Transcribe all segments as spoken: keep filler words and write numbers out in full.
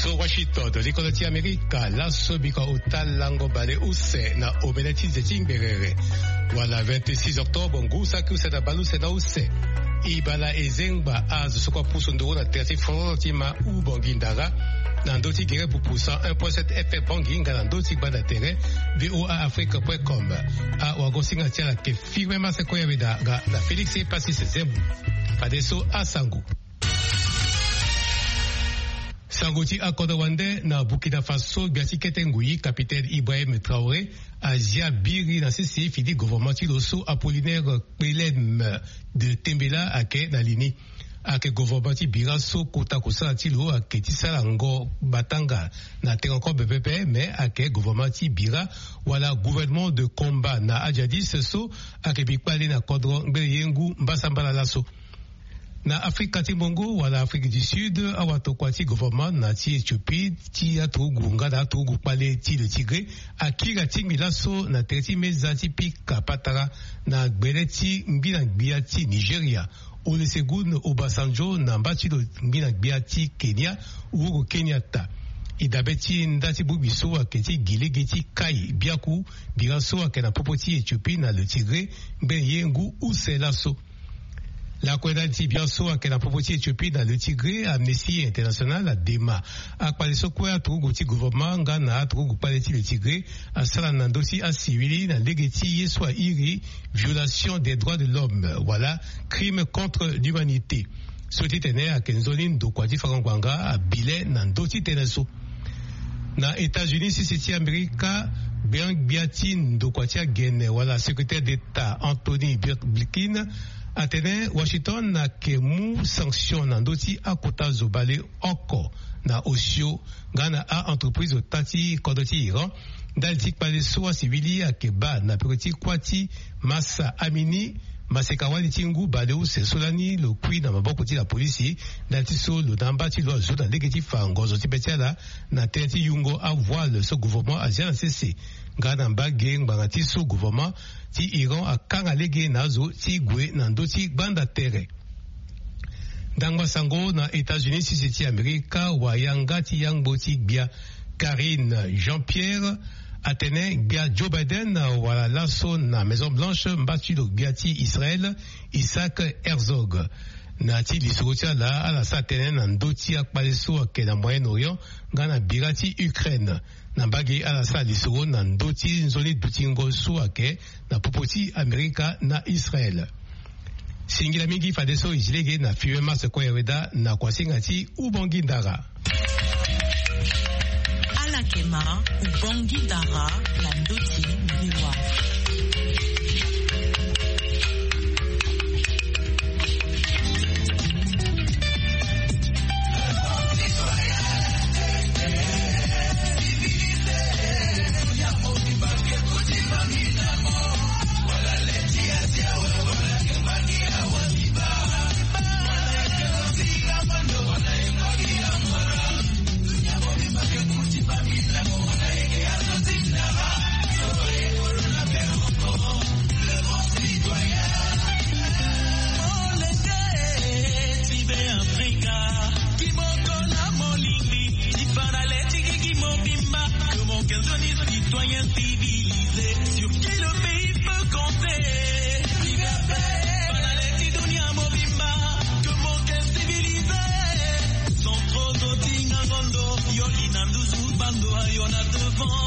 So Washington, likolo ti Amerika, laso bika ota lango bale use na omene ti nze ti ngberere. Wala vingt-six octobre, ngu saki use na bale use na use. Ibala ezengba azo so kue apusu nduru na tere ti foro ti ma u Bangui Ndara, na ndö ti gere pupu cent un point sept F M Bangui nga na ndö ti gbanda tere V O A Afrique point com. Awagosinga ti ala ke firme mase koyabeda nga na Félix Pacis Zembo. Fadeso asango. Sango ti akodro wande na Burkina Faso, gbia ti kete ngoi, capitaine Ibrahim Traoré, azia biri na sese fidi gouvernement ti lo so Apollinaire Kpelem de Tembela ayeke na li ni. Ayeke gouvernement ti bira so kota kosala ti lo ayeke ti sara ngo batanga na tere kobe pepe, me ayeke gouvernement ti bira wala gouvernement de combat na adjadis so ayeke bi kpale na kodro ngbele ye ngu mbasambala laso. Na Afrika ti Mbongo wala Afrique du Sud, awatokua ti gouvernement na ti Éthiopie ti aturugu nga na aturugu kpale ti le Tigré akiri atingbi laso na tere ti meza ti pika patara na gbele ti ngbi na gbia ti Nigeria, Olusegun Obasanjo, na mba ti lo ngbi na gbia ti Kenya, Uhuru Kenyatta. E dabe ti nda ti bongbi so ayeke ti gi lege ti kai biaku bira so ayeke na popo ti Éthiopie na le Tigré ngbene ye ngu use laso. Lakue ndali ti bian so ayeke na popo ti Éthiopie na le Tigré, Amnesty International adema akpale so kue aturugu ti gouvernement nga na aturugu kpale ti le Tigré asara na ndö ti asivili na lege ti ye so airi violation des droits de l'homme wala crime contre l'humanité. So ti tene ayeke nzoni ndokua ti fango ngbanga abi le na ndö ti tënë so. Na États-Unis sese ti Amerika, gbia gbia ti ndokua ti agene wala secrétaire d'État Anthony Blinken atene Washington ayeke mu sanction na ndö ti akota zo bale oko na osio nga na a-entreprise ota ti kodro ti Iran, ndali ti kpale so asivili ayeke baa na peko ti kuâ ti Mahsa Amini, maseka wali ti ngu bale use so lani lo kui na maboko ti lapolisi, ndali ti so lo na amba ti lo azo na lege ti fa ngonzo ti be ti ala na tënë ti yungo avoile so gouvernement azia na sese, nga na mbage ngbanga ti so gouvernement ti Iran akanga lege na azo ti gue na ndö ti gbanda tere. Ndangba sango na États-Unis sese ti Amerika, wayanga ti yangbo ti gbia Karine Jean-Pierre atene gbia Joe Biden wala laso na Maison Blanche mba ti lo gbia ti Israël Isaac Herzog. Na ti lisoro ti ala, ala sara tënë na ndö ti akpale so ayeke na Moyen-Orient nga na bira ti Ukraine. Na mbage ala sara lisoro na ndö ti nzoni dutingo so ayeke na popo ti Amerika na Israël. Singila mingi fadeso e zi lege na filme Mars Koyaweda na kuasinga ti Ubangui Ndara. Ala yeke ma Ubangui Ndara na ndö ti V O A. Molenge ti Be Afrika, kimoko na molingbi, ti fa na le ti gigi mobimba, que mon cœur de citoyen civilisé, sur qui le pays peut compter. Fa na le ti dunia mobimba, que mon cœur civilisé, sans trop zotinga ngondo, yo li na nduzu bando, yo na devant.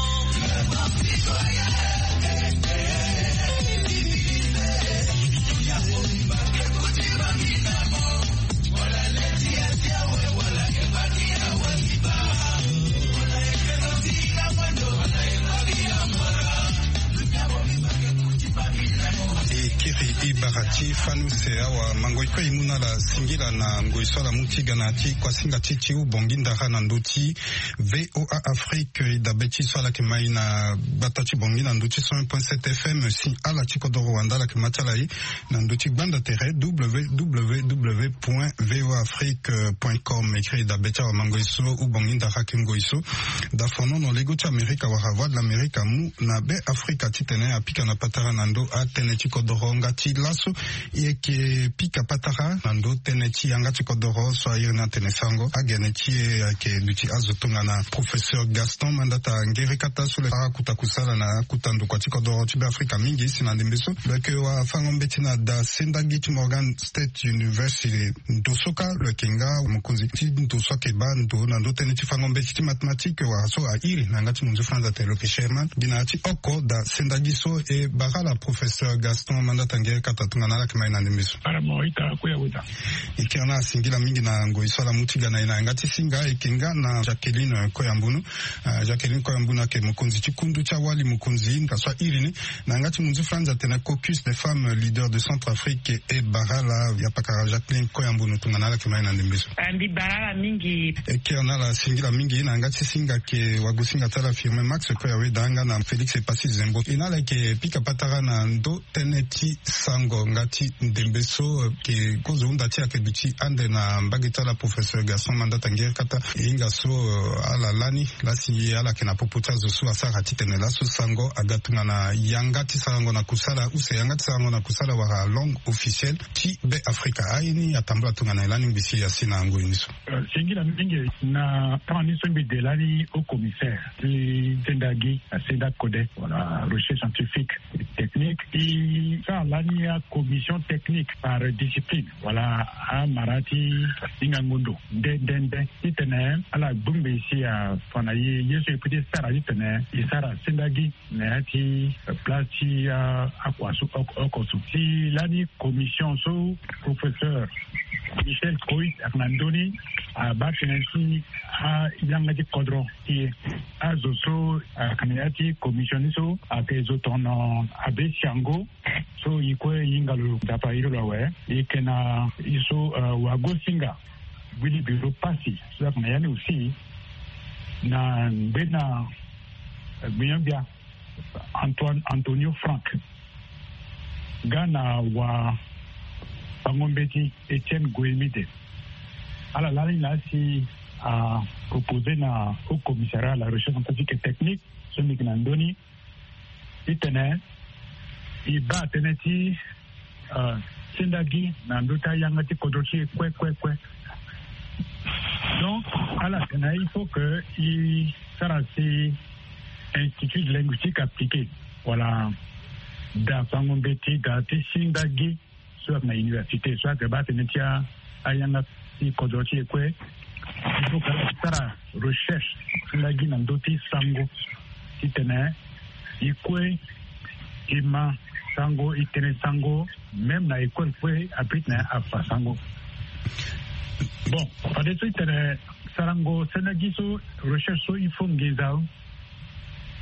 E kiri e bara ti fani use awa, mango e kue e mu na ala singila na ngoi so ala mu ti ga na ya ti kuasinga ti ti Ubangui Ndara na ndö ti V O A Afrique. E dabe ti so ala yeke ma e na gbata ti Bangui na ndö ti cent un point sept F M. Si ala ti kodoro wande ala yeke ma ti ala e na ndö ti gbanda tere W W W point V O A Afrique point com. E kiri e dabe ti awamango e so Ubangui Ndara ayeke ngoi so da fonono lego ti Amerika wala Voix de l'Amérique amu na Be Afrika titene apika na patara na ndö atënë ti kodoro nga ti laso. E yeke pika patara na ndö tënë ti yanga ti kodoro so a iri ni atene sango agene ti e ayeke duti azo tongana professeur Gaston Mandata Ngerekata so lo yeke sara akuta kusala na akuta ndokua ti kodoro ti Beafrika mingi si na ndembe so lo yeke wara fango mbeti na da sendagi ti Morgan State University. Ndo so kâ lo yeke nga mokonzi ti ndo so ayeke baa ndo na ndö tënë ti fango mbeti ti mathématique wala so a iri na yanga ti monzu franz atene lo yeke chairman gi na ya ti oko da sendagi so. E bara ala professeur Gaston Mandata Ngerekata tongana ala yeke ma e na ndembe so. Ala mo ita kue ya weta. E kiri na ala singila mingi na ngoi so ala mu ti ga na e na yanga ti singa. E yeke nga na Jacqueline Koyambunu. Ah, Jacqueline Koyambunu ayeke mokonzi ti kundu ti awali mokonzi nga so a iri ni na yanga ti monzu franz atene caucus des femmes leaders de Centrafrique. E bara ala ya pakara Jacqueline Koyambunu tongana ala yeke ma e na ndembe so. Ah, mbi bara ala mingi. E kiri na ala singila mingi na yanga ti singa ayeke wagosinga ti ala Firmin Max Koyaweda nga na Félix Epassi Zembo. E na ala yeke pika patara na ndö tënë ti sango nga ti ndembe so, eh, ke kozo hunda ti e ayeke duti ande na mbage ti ala professeur Gaston Mandata Ngerekata. E hinga so, eh, ala lani lasi ala yeke na popo ti azo so asara titene laso sango aga tongana yanga ti sarango na kusala use yanga ti sarango na kusala wala langue officielle ti Beafrika. Aye ni atambula tongana e lani ngbisi asi na ngoi ni so. Eh, singila mingi na tama ni so mbi de lani haut commissaire ti sendagi na senda code wala recherche scientifique et technique. E sara lani acommission technique par discipline wala amara ti hinga ngondo nde nde nde titene ala gbu ngbe si afa na ye ye so e peut ti sara titene e sara sendagi na ya ti, eh, place ti, ah, akua so oko oko so. Si lani commission so professeur Michel Coit ayeke na ndö ni abaa tënë ti ayanga ti kodro ti e. Azo so ayeke na ya ti commission ni so ayeke zo tongana Abbé Siango so e kue e hinga lo Nzapa iri lo awe. E yeke na e so, eh, wagosinga Willy Biro Passy so ayeke na ya ni aussi na ngbena, eh, gbenyo-gbia Antoine Antonio Frank nga na wafango-mbeti Etienne Goemide. Ala lani laa si apropose na haut commissariat à la recherche scientifique et technique so mbi yeke na ndö ni titene e baa tënë ti, euh, sendagi na ndö ti ayanga ti kodro ti e kue kue kue. Donc ala tene il faut que e sara si institut linguistique appliqué wala da fango mbeti da ti sendagi so ayeke na université so ayeke baa tënë ti a ayanga ti kodro ti e kue. Il faut que ala sara recherche ti lagi na ndö ti sango titene e kue e ma sango e tene sango même na école kue abit na afa sango. Bon, fadeso e tene sarango sendagi so recherche so il faut nginza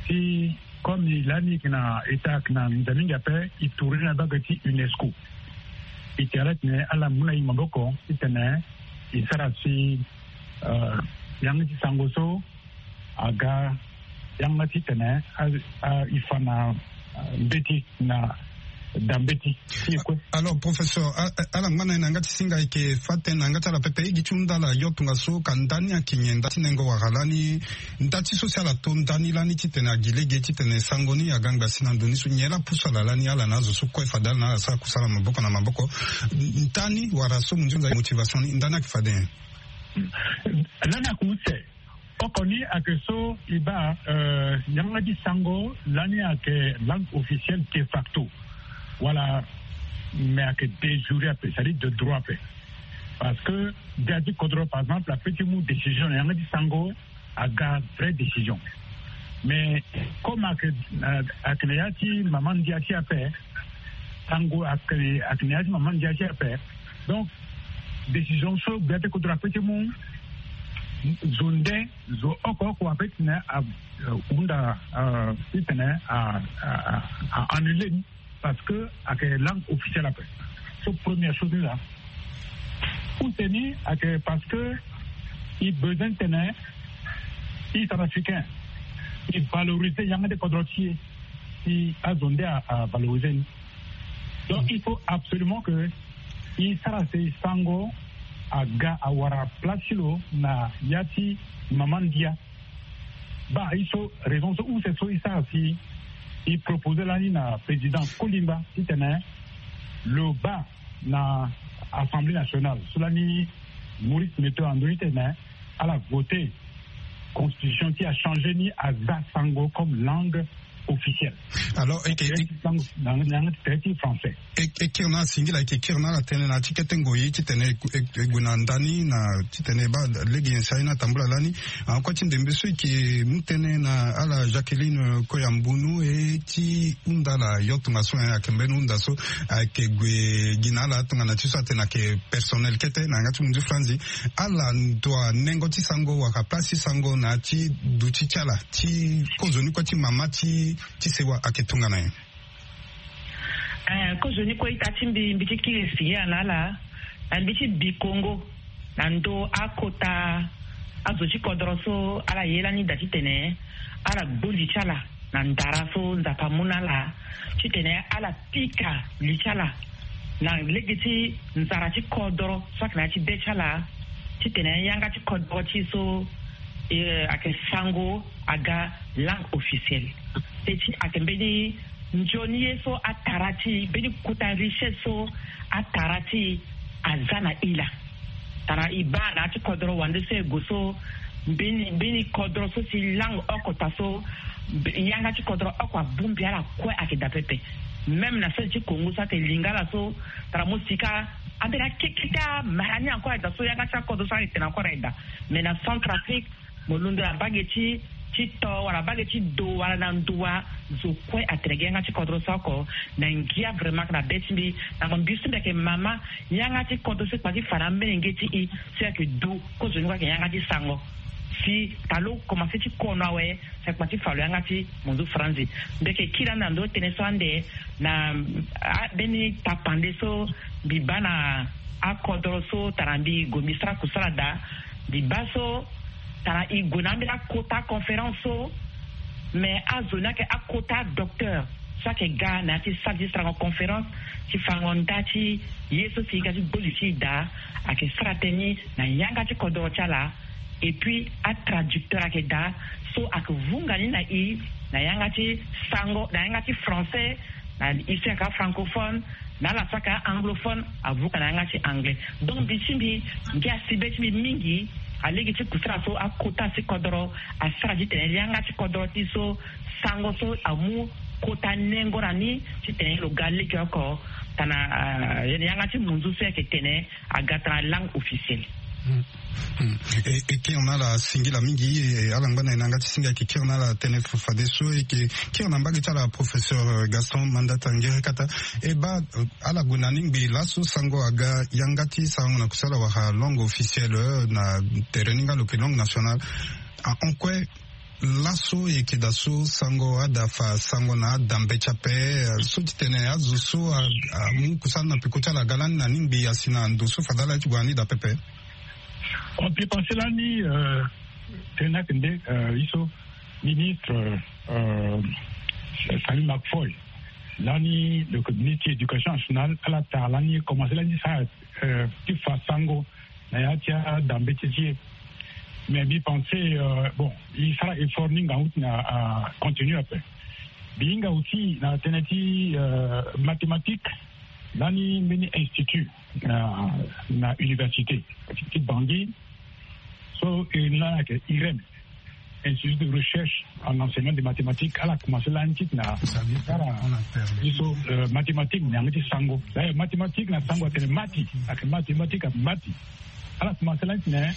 ti comme e lani e yeke na état ayeke na nginza mingi ape e tourner na mbage ti UNESCO. E tene ala tene ala mu na e maboko titene e sara si, euh, yanga ti sango so aga yanga titene a, a, e fa na, euh, mbeti na da mbeti. Alors professeur, ala ngba na e na yanga ti singa e yeke fa tënë na yanga ti ala pepe e gi ti hunda ala yo tongaso ka nda ni ayeke nyen nda ti nengo wala lani nda ti so si ala to nda ni lani titene agi lege titene sango ni aga ngba si na ndo ni so nyen laa pusu ala lani ala na azo so kue fade ala na ala sara kusala maboko na maboko. Nda ni wala so mo nzoni motivation ni nda ni ayeke fade nyen? Lani ayeke use. Oko ni ayeke so e baa, euh, yanga ti sango lani ayeke langue officielle de facto wala mais ayeke de jure ape c'est-à-dire de droit ape. Parce que dia ti kodro par exemple ape ti mu décision na yanga ti sango aga vraie décision. Mais comme ayeke, euh, ayeke na ya ti mama ndia ti ape sango ayeke na ya ti mama ndia ti ape. Donc décision so gbia ti kodro ape ti mu zo nde zo oko oko ape titene ahunda titene a annule ni. Parce que ayeke langue officielle ape. So première chose ni laa. Use ni ayeke parce que e besoin titene e centrafricain e valoriser yanga ti kodro ti e. Si azo nde avaloriser ni. Donc il faut absolument que e sara si sango aga awara place ti lo na ya ti mama ndia. Baa e so raison so use so e sara si e proposer lani na président Kolimba titene Lo baa na Assemblée nationale so lani Maurice Meto ando ni tene ala vote constitution ti achangé ni aza sango comme langue officielle. Alors eke na yanga ti tere ti français. E kiri na ala singila eke kiri na ala tënë na ti kete ngoi titene e gue na ndani na titene e baa lege nyen si aye ni atambula lani. Kue ti ndembe so eke mu tënë na ala Jacqueline Koyambunu e ti hunda ala yo tongaso ayeke mbeni hunda so ayeke gue gi na ala tongana ti so atene ayeke personnel kete na yanga ti munzu franzi. Ala ndo anengo ti sango wala place ti sango na ya ti duti ti ala ti kozo ni kue ti mama ti ti sewa ayeke tongana nyen? Kozo ni kue ita ti mbi mbi ti kiri singila na ala na mbi ti bikongo na ndo akota azo ti kodoro so ala ye lani daa titene ala gbu li ti ala na ndara so Nzapa amu na ala titene ala pika li ti ala na lege ti nzara ti kodoro so ayeke na ya ti be ti ala titene yanga ti kodoro ti e so ayeke sango aga langue officielle. Te ti ayeke mbeni nzoni ye so atara ti e mbeni kota richesse so atara ti e aza na hila. Tara e baa na ya ti kodoro wande so e gue so mbeni mbeni kodoro so si langue oko ta so yanga ti kodoro oko abongbi ala kue ayeke daa pepe. Même na sese ti Congo so ayeke lingala so tara mo sika ambeni akeketa mara ni encore aye daa so yanga ti akodoro so ayeke tene encore aye daa. Mais na Centrafrique mo londo na mbage ti ti to wala mbage ti do wala na nduwa zo kue atene gi yanga ti kodro so oko na ngia vraiment na be ti mbi na mo mbi so mbi ayeke mama yanga ti kodro so e kpa ti fa na amolenge ti e so e yeke du kozoni kue ayeke yanga ti sango si talo komanse ti kono awe si ayeke kpa ti fa lo yanga ti monzu franzi. Mbi yeke kiri ande na ndö ti tënë so ande na ambeni tapande so mbi baa na akodro so tara mbi gue mbi sara kusala daa mbi baa so tara e gue na ambeni akota conférence so. Mais azo ni ayeke akota docteur so ayeke ga na ya ti sara ti sarango conférence ti farango nda ti ye so si e ga ti gbo li ti e daa ayeke sara tënë ni na yanga ti kodoro ti ala. Et puis atraducteur ayeke daa so ayeke vunga ni na e na yanga ti sango na yanga ti français na e so ayeke afrancophone na ala so ayeke a-anglophone avuka na yanga ti anglais. Donc mbi ti mbi ngia si be ti mbi mingi alege ti kusara so akota si kodoro asara titene yanga ti kodoro ti so sango so amu kota nengo na ni titene lo ga lege oko tana yanga ti munzu so ayeke tene aga tana langue officielle. E kiri na ala singila mingi e ala ngba na e na yanga ti singa e yeke kiri na ala tënë fadeso e yeke kiri na mbage ti ala professeur Gaston Mandata Ngiri Kata. E baa ala gue na ni ngbii laso sango aga yanga ti sarango na kusala wala langue officielle na tere ni nga lo yeke langue nationale. Ahon kue laso e yeke daa so sango ada fa sango na adambe ti ape so ti tene azo so amu kusala na peko ti ala aga lani na ni ngbii asi na ndo so fade ala ye ti gue na ni daa pepe. On peut penser lani tene ake nde ye so ministre Samy Makfoy lani lo yeke ministre ti éducation nationale ala tara lani commencé lani ti sara ti fa sango na ya ti adambe ti ti e. Mais mbi pense bon e sara effort ni ngangu ti na continue ape. Mbi hinga aussi na tënë ti mathématique lani mbeni institut na na université ti Bangui so e lani ayeke IREM, Institut de recherche en enseignement de mathématiques ala commencé lani ti na sara biso mathématique na yanga ti sango. D'ailleurs mathématique na sango atene mati ayeke mathématique ayeke mati. Ala commencé lani ti na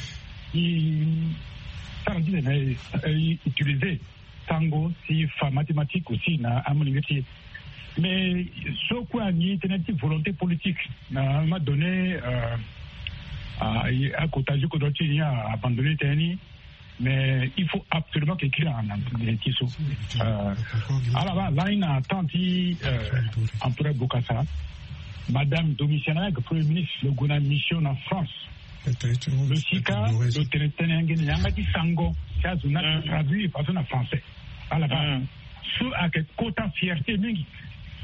e sara ti na e utiliser sango si fa mathématique aussi na amolenge ti e. Mais so kue ani tënë ti volonté politique na ma donné akota ti kodro ti ni a abandonné tënë ni. Mais il faut absolument que kiri na na ti so ala baa lani na temps ti Empereur Bokassa madame Domitiana ayeke premier ministre lo gue na mission na France. Lo sika lo tene tënë yanga ni na yanga ti sango ti azo ni ayeke traduire fadeso na français. Ala baa so ayeke kota fierté mingi.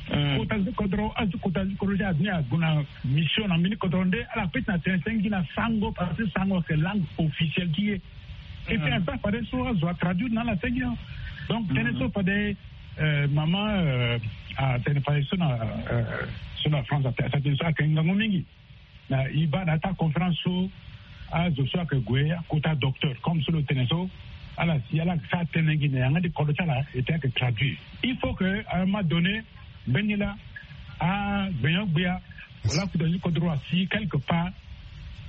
Kota ti kodro azo kota ti kodro ti azo ni ague na mission na mbeni kodro nde ala peti na tene tënë gi na sango parce que sango ayeke langue officielle ti e. Et puis aza fade so azo atraduire na ala tënë gi. Donc tënë so fade Mama, atene fade so na so na France atene so ayeke ngangu mingi. Na e baa na ya ti aconférence so azo so ayeke gue akota docteur comme so lo tene so ala si ala yeke sara tënë gi na yanga ti kodro ti ala ete ayeke traduire. Il faut que à un moment donné mbeni laa agbenyo-gbia wala akuta ti kodro asi quelque part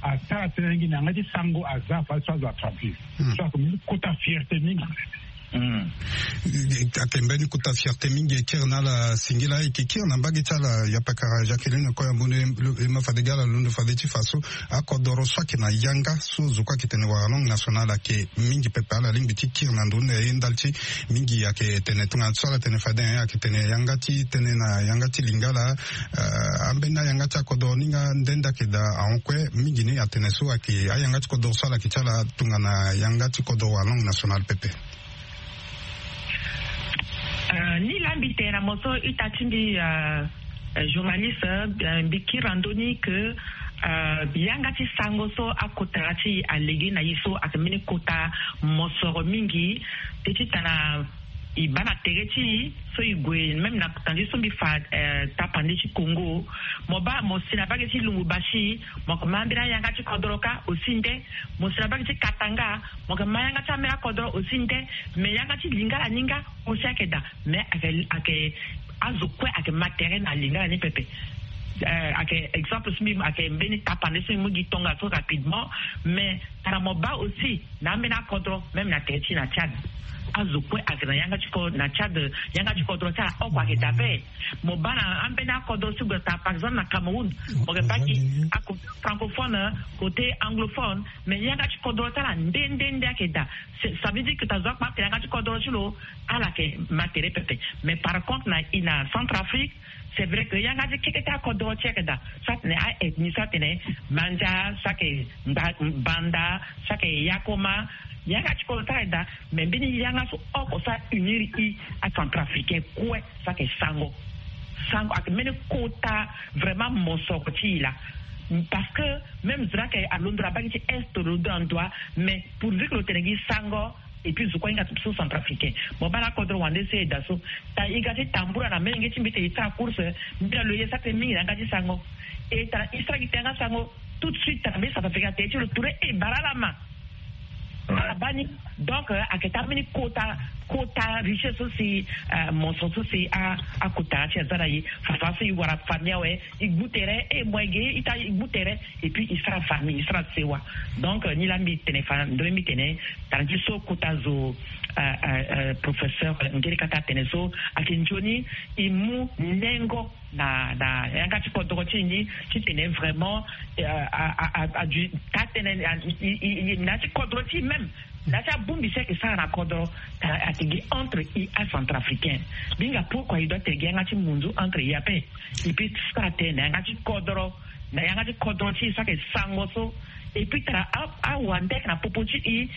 asara tënë gi na yanga ti sango aza fade so azo atraduire. So ayeke mbeni kota fierté mingi. Ayeke mbeni kota fierté mingi. E kiri na ala singila, e yeke kiri na mbage ti ala yapakara Jacqueline Koyambono. E ma fade ga ala londo fade ti fa so akodoro so ayeke na yanga so zo kue ayeke tene wala langue nationale ayeke mingi pepe. Ala lingbi ti kiri na ndo ni na ye ndali ti mingi ayeke tene tongana so ala tene fade ayeke tene yanga ti tënë na yanga ti lingala. Ambeni ayanga ti akodoro ni nga nde nde ayeke daa ahon kue mingi ni atene so ayeke ayanga ti kodoro so ala yeke ti ala tongana yanga ti kodoro wala langue nationale pepe. Ni laa mbi tene na mo so ita ti mbi journaliste, mbi kiri na ndö ni ke yanga ti sango so akota ti e alege na e so ayeke mbeni kota mosoro mingi. Te titana e baa na tere ti e so e gue même na tandi so mbi fa tapande ti Congo. Mo baa mo si na mbage ti Lubumbashi, mo yeke ma ambeni ayanga ti kodoro kâ aussi nde. Mo si na mbage ti Katanga, mo yeke ma yanga ti ambeni akodoro aussi nde. Mais yanga ti lingala ni nga aussi ayeke daa, mais ayeke ayeke azo kue ayeke ma tere na lingala ni pepe. Ayeke exemple so mbi ayeke mbeni tapande so mbi mu gi tongaso rapidement. Mais tara mo baa aussi na ambeni akodro même na tere ti na Tchad, azo kue ayeke na yanga ti kodro na Tchad. Yanga ti kodro ti ala oko ayeke daa ape. Mo baa na ambeni akodro so gue tara par exemple na Cameroun, mo yeke baa gi akodro francophone, côté anglophone. Mais yanga ti kodro ti ala nde nde nde ayeke daa. Ça veut dire que ta zo akpa atene yanga ti kodro ti lo ala yeke ma tere pepe. Mais par contre na i na Centrafrique, c'est vrai que yanga ti keke ti akodro ti ayeke daa. So atene a-ethnie, so atene Mandja, so ayeke Banda, so ayeke Yakoma. Yanga ti kodro ti ayeke daa. Mais mbeni yanga so oko so a-unir i aCentrafricain kue so ayeke sango. Sango ayeke mbeni kota vraiment mosoro ti i laa. Parce que même zo ni ayeke alondo na mbage ti est, lo londo na ndo wa. Mais pourvu que lo tene gi sango, et puis zo kue ahinga so Centrafricain. Mo baa na akodro wande so e daa so, tara e ga ti tambula na molenge ti mbi ti e sara course. Mbi na lo ye sara tënë mingi na yanga ti sango. E tara e sara gi tene yanga sango, tout de suite tara mbeni Centrafricain atene ti lo ture e bara ala ma. Ala baa ni. Donc ayeke taa mbeni kota, kota richesse so si mosoro so si akota ti aza na e. Fafa so e wara famille awe, e gbu tere, e mo ege ita e gbu tere. Et puis e sara famille, e sara sewa. Donc ni laa mbi tene fa ndö ni mbi tene tara ti so kota zo, professeur Ngeri Kata atene so ayeke nzoni e mu nengo na na yanga ti kodro ti e ni, titene vraiment a a a a du taa tënë na ya ti kodro ti e même. Na ya ti abongbi so ayeke sara na kodro, ayeke gi entre e aCentrafricain. Mbi hinga pourquoi e doit tene gi yanga ti munzu entre e ape. E peut sara tënë na yanga ti kodro, na yanga ti kodro ti e so ayeke sango so. Et puis tara awande ayeke na popo ti e.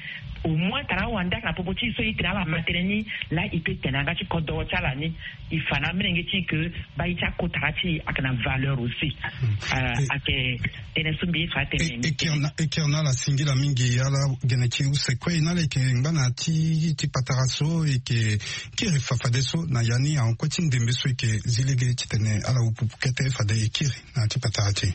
Au moins tara awande ayeke na popo ti e so e tene ala ma tënë ni laa e peut tene na yanga ti kodro ti ala ni. E fa na amolenge ti e ke baa ye ti akotara ti e ayeke na valeur aussi. Ayeke tënë so mbi ye fa atene. E kiri na ala singila mingi ala gene ti use kue e na ala e yeke ngba na ti ti patara so e yeke kiri fa fadeso na ya ni ahon kue ti ndembe so e yeke zi lege titene ala hupupu kete fade e kiri na ya ti patara ti e.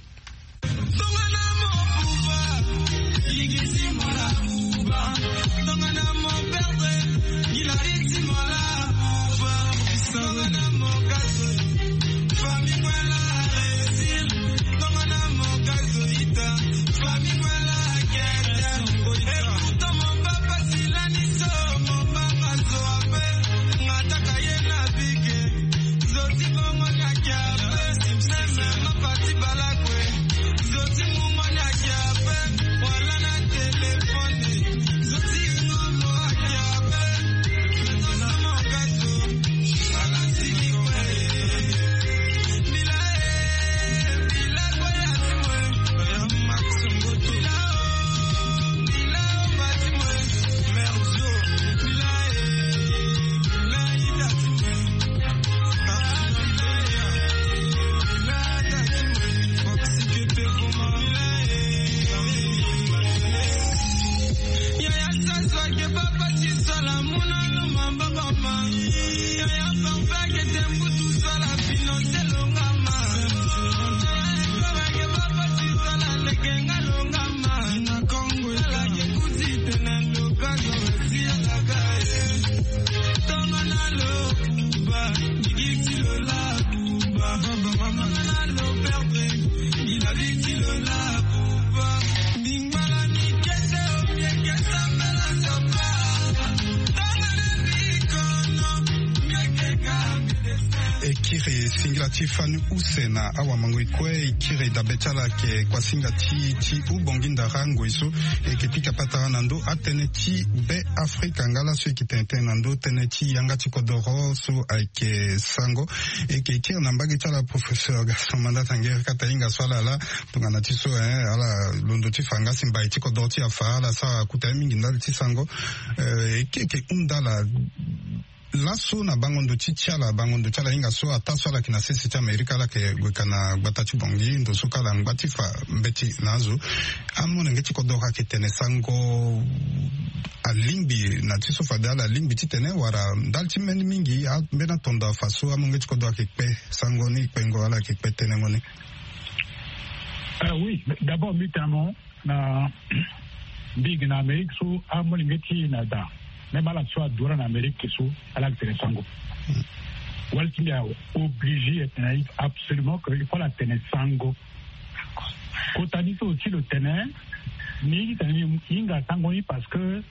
E kiri singila ti fani use na awamangoi kue. E kiri dabe ti ala ayeke kuasinga ti ti hubongi ndara ngoi so e yeke pika patara na ndo atënë ti Be Afrika nga laso e yeke tene tënë na ndo tënë ti yanga ti kodoro so ayeke sango. E yeke kiri na mbage ti ala professeur Gaston Mandata Nguerie Kata, hinga so ala laa tongana ti so, eh, ala londo ti fa nga si mbai ti kodoro ti afa ala sara akuta ye mingi ndali ti sango. Eh, e ke e yeke hunda ala laso na bango ndo ti ti ala, bango ndo ti ala hinga so ataa so ala yeke na sese ti Amerika, ala yeke gue ka na gbata ti Bangui, ndo so kâ ala ngba ti fa mbeti na azo. Amolenge ti kodoro ayeke tene sango alingbi na ti so fade ala lingbi titene wala ndali ti mbeni mingi ambeni atondo afa so amolenge ti kodoro ayeke kpe sango ni kpengo, ala yeke kpe tenengo ni? Ah oui, d'abord mbi tene mo na mbi gi na Amérique so amolenge ti na da, même ala so adu ala na Amérique so ala yeke tene sango. Wala ti mbi a obligé e tene absolument que il faut ala tene sango. Kota ni so aussi lo tene ni tene ni hinga sango ni parce que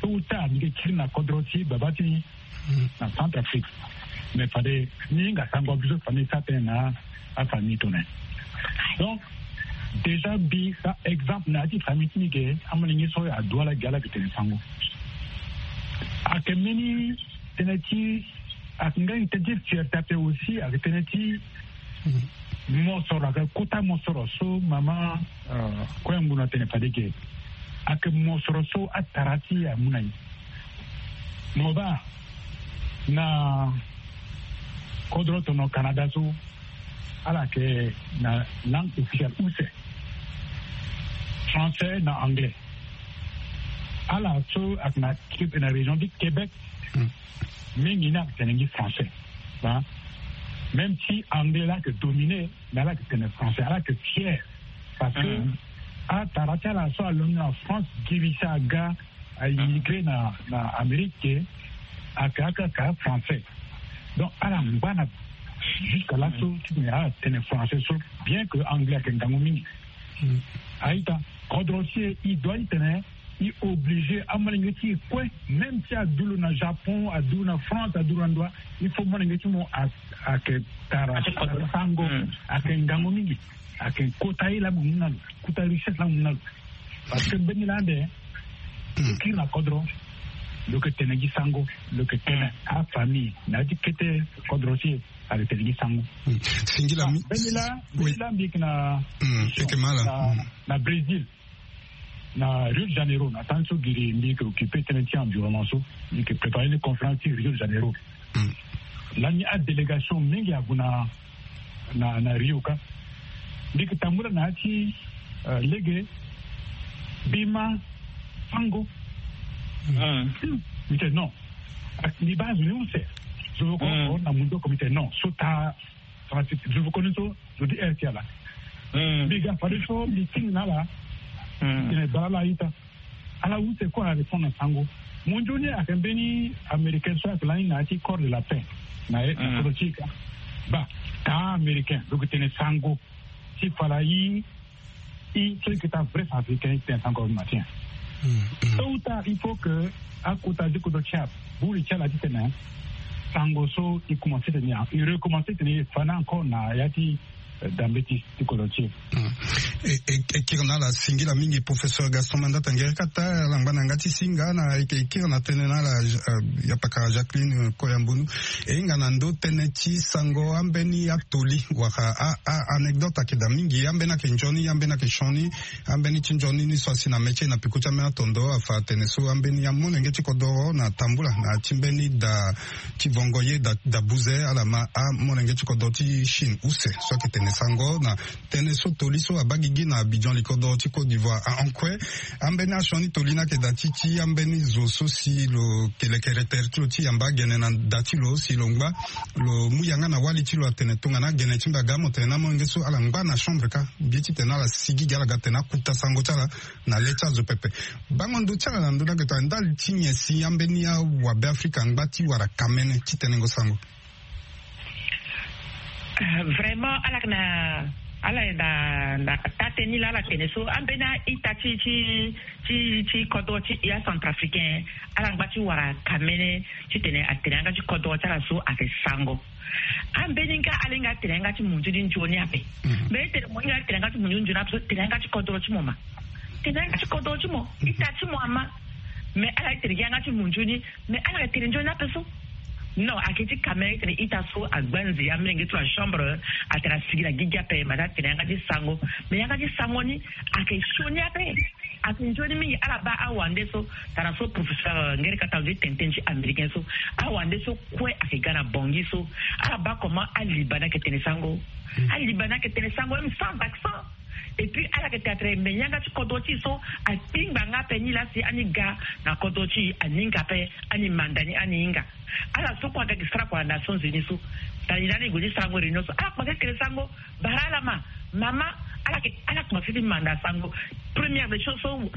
so uta mbi ke kiri na kodro ti baba ti ni na Centrafrique. Mais fade ni hinga sango biso famille sa tënë na afamille tongana. Donc déjà mbi sa exemple na ya ti famille ti mbi ke amolenge so adu ala gi ala yeke tene sango. Ayeke mbeni tënë ti ayeke nga tënë ti fierté ape aussi ayeke tënë ti mosoro, ayeke kota mosoro so mama, euh, Koyambunu atene fade ge. Ayeke mosoro so atara ti amu na ye. Mo baa na kodro tono Canada so ala yeke na langue officielle use, français na anglais. Ala so ayeke na, na région ti Québec, mingi ni ayeke tene gi français. Hein? Même si anglais la ayeke dominé, mais ala yeke tene français, ala yeke fier. Parce que atara ti ala so alondo na France, girisa aga a immigré na, na Amérique, ayeke akaka français. Donc ala ngba na jusqu'à laso titene ala tene français so, bien que anglais ayeke ngangu mingi. A-ita, kodro ti e, e doit titene e obligé amolenge ti e kue, même si adu lo na Japon, adu lo na France, adu lo na ndo wa, il faut molenge ti mo a, ayeke tara sango, ayeke ngangu mingi, ayeke kota ye laa mo mu na lo, kota richesse laa mo mu na lo. Parce que mbeni laa ande lo kiri na kodro, lo yeke tene gi sango, lo yeke tene afamille na ya ti kete kodro ti e, ayeke tene gi sango. Singila mi- mbeni laa, mbeni laa mbi yeke na, yeke ma ala na, na Brésil, na Rio de Janeiro, na temps so giri mbi yeke occupé tënë ti environnement so, mbi yeke préparé ni conférence ti Rio de Janeiro. Lani adélégation mingi ague na, na, na Rio ka. Mbi yeke tambula na ya ti, euh, lege, mbi ma sango. Mbi tene non. Mbi baa zo ni use. Zo oko na mundu oko, mbi tene non. So taa, zo oko ni so, zo di heure ti ala. Mbi ga fade so mbi tingi na ala. Mbi tene baa ala a-ita. Ala use kue ala répondre na sango. Mo nzoni ayeke mbeni américain so ayeke lani na ya ti corps de la paix na ye na kodro ti e ka. Baa taa américain lo yeke tene sango. Ti fala i, i so i yeke taa vrai centrafricain i tene sango matin. Tôt ou tard il faut que akota ti kodro ti aburi ti ala titene sango so i commencé tene, i recommencé tene i fa ni encore na ya ti, euh, dambe ti ti kodro ti e. E, e, e kiri na ala singila mingi professeur Gaston Mandata Nguerie Kata, ala ngba na yanga ti singa na e, e kiri na tënë na ala, euh, ya pakara Jacqueline, euh, Koyambunu. E hinga na ndo tënë ti sango ambeni atoli wala a, a anecdote ayeke daa mingi, ambeni ayeke nzoni, ambeni ayeke sioni, ambeni ti nzoni ni so asi na mê ti e na peko ti ambeni atondo afa atene so ambeni amolenge ti kodoro na tambula na ya ti mbeni da ti vongo ye da, da buze ala ma amolenge ti kodoro ti Chine use so ayeke tene Sango na tënë so toli so abaa gigi na Abidjan, likodoro ti Côte d'Ivoire. Ankue, ambeni asioni toli ni ayeke daa ti ti ambeni zo so si lo yeke lekere tere ti lo ti yamba agene na da ti lo si lo ngba, lo mu yanga na wali ti lo atene tongana agene ti mbi aga amolenge so ala ngba na chambre kâ. Mbi ye titene ala sigi gi ala ga tene akuta sango ti ala na le ti azo pepe. Bango ndo ti ala na ndö ni ayeke tongana ndali ti nyen si ambeni awabe Afrika angba ti wara kamene ti tenengo sango? Vraiment ala yeke na ala yeke na na tate ni laa ala tene so ambeni a-ita ti ti ti ti kodro ti acentrafricain ala ngba ti wara kamene titene atene yanga ti kodro ti ala so ayeke sango. Ambeni nga ala hinga atene yanga ti munzu ni nzoni ape. Mais tene mo hinga atene yanga ti munzu ni nzoni ape so tene yanga ti kodro ti mo ma. Tene yanga ti kodro ti mo ita ti mo ama. Mais ala ye tene gi yanga ti munzu ni. Mais ala yeke tene nzoni ape so. Non, ayeke ti kamene tene ita so agba nze amilenge ti lo na chambre atene asigi na gigi ape ma ti atene yanga ti sango. Mais yanga ti sango ni ayeke sioni ape. Ayeke nzoni mingi ala baa awande so. Tara so professeur ngeri kata lo ti tene tënë ti américain so. Awande so kue ayeke ga na bongi so. Ala baa comment aliba ni ayeke tene sango. Aliba ni ayeke tene sango même sans accent. Et puis ala yeke tene atene me yanga ti kodro ti e so akpingba nga ape ni laa si ani ga na kodro ti e ani hinga ape. Ani manda ni ani hinga. Ala so kue aga gi sara kua na Nations Unies so. Tani lani e gue ti sarango réunion so ala kpase tene sango. Bara ala ma mama. Ala yeke ala kpase ti manda sango. Première des choses so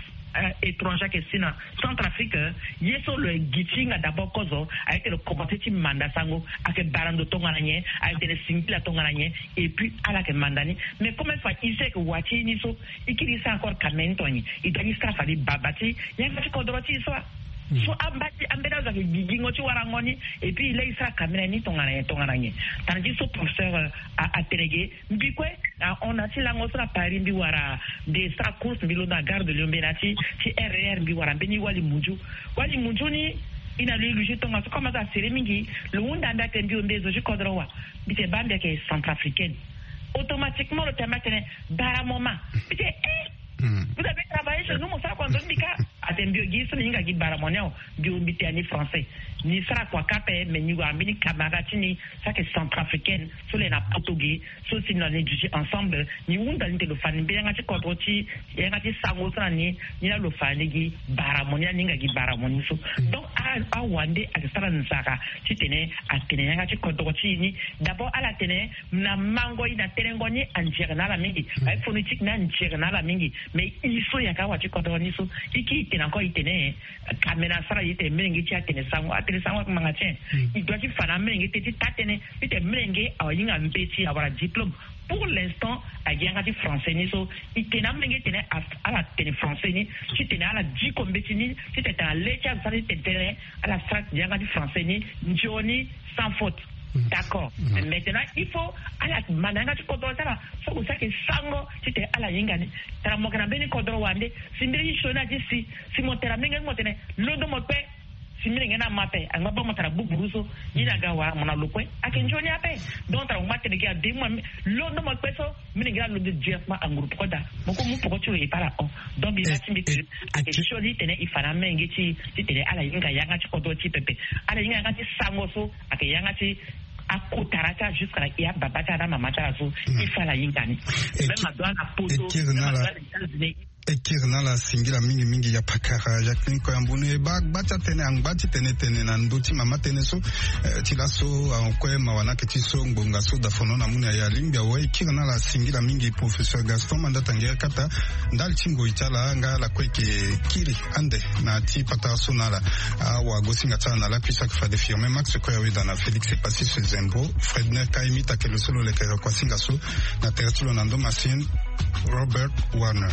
étranger ayeke si na Centrafrique. Ye so lo gi ti hinga d'abord kozo ayeke lo commencer ti manda sango. Ayeke bara ndo tongana nyen? Ayeke tene singila tongana nyen? Et puis ala yeke manda ni. Mais comme fa e so ayeke wa ti e ni so e kiri e sara encore kamene ni tongana nyen? E doit ni sara fade baba ti yanga ti kodro ti e so. So amba ti ambeni azo ayeke gigingo ti warango ni. Et puis e laa e sara kamene ni tongana nyen tongana nyen? Tana ti so professeur atene ge. Mbi kue na hon na ti lango so na Paris mbi wara nde sara course mbi londo na gare de Lyon mbi na ti ti R E R mbi wara mbeni wali munzu. Wali munzu ni e na lo e luge tongaso comme azo asere mingi. Lo hunda mbi atene mbi ombe zo ti kodro wa. Mbi tene baa mbi ayeke centrafricaine. Automatiquement lo tene mbi atene bara mo ma. Mbi tene eh. Vous avez travaillé chez nous mo sara kua nzoni mbi kâ. Atene mbi ogi so ni hinga gi bara mo ni awe. Mbi ombi tena ni français. Ni sara kua kâ ape mais ni wara mbeni camarade ti ni so ayeke centrafricaine so le na poto ge. So si na ni duti ensemble ni hunda ni tene lo fa ni mbeni yanga ti kodro ti yanga ti sango so na ni. Ni laa lo fa ni gi bara mo ni laa ni hinga gi bara mo ni so. Donc awande ayeke sara nzara titene atene yanga ti kodro ti e ni. D'abord ala tene na mango e na tenengo ni anzere na ala mingi. Aye phonétique ni anzere na ala mingi. Mais e so yaka awa ti kodro ni so e kiri e tene encore e tene kamene asara e tene melenge ti atene sango atene sango ayeke ngbanga ti nyen? E doit ti fa na amelenge tënë ti taa tënë. Titene melenge awa hinga mbeti awara diplôme. Pour l'instant agi yanga ti français ni so e tene amelenge tene ala tene français ni. Titene ala diko mbeti ni titene tena le ti azo sara ti tene tënë ala sara yanga ti français ni. Nzoni sans faute. D'accord. Maintenant il faut ala manda yanga ti kodro ti ala. So kue so ayeke sango titene ala hinga ni. Tara mo yeke na mbeni kodro wande si mbeni ti sioni ati si si mo tene na mbeni nge ti mo tene londo mo kpe. Si mbeni nge ni ama ape angba baa mo tara buburu so. Ye ni aga wara mo na lo kue. Ayeke nzoni ape. Donc tara mo ma tene gi ade mo londo mo kpe so. Mbeni nge ni alondo directement anguru poko daa. Mo kue mu poko ti lo e baa ala hon. Donc mbi ma ti mbi tene ayeke sioni titene e fa na mbeni nge ti titene ala hinga yanga ti kodro ti pepe. Ala hinga yanga ti sango so ayeke yanga ti akotara ti ala jusque na e ababa ti ala na amama ti ala so. E fa ala hinga ni. Même adoit na poto même adoit na États-Unis. E kiri na ala singila mingi mingi ya pakara Jacqueline Koyambunu e baa gba ti atene angba ti tene tene na ndö ti mama tënë so. Ti laso awe kue mawa ni ayeke ti so ngbonga so dafono na mu na e alingbi awe e kiri na ala singila mingi professeur Gaston Mandata Ngeri Kata. Ndali ti ngoi ti ala nga ala kue e yeke kiri ande na ti patara so na ala. Awagosinga ti ala na lakui so ayeke fade Firmin Max Koyaweda na Félix Epassis Zembo. Fredner Kaimit ayeke lo so lo lekere kuasinga so na tere ti lo na ndo masini. Robert Warner.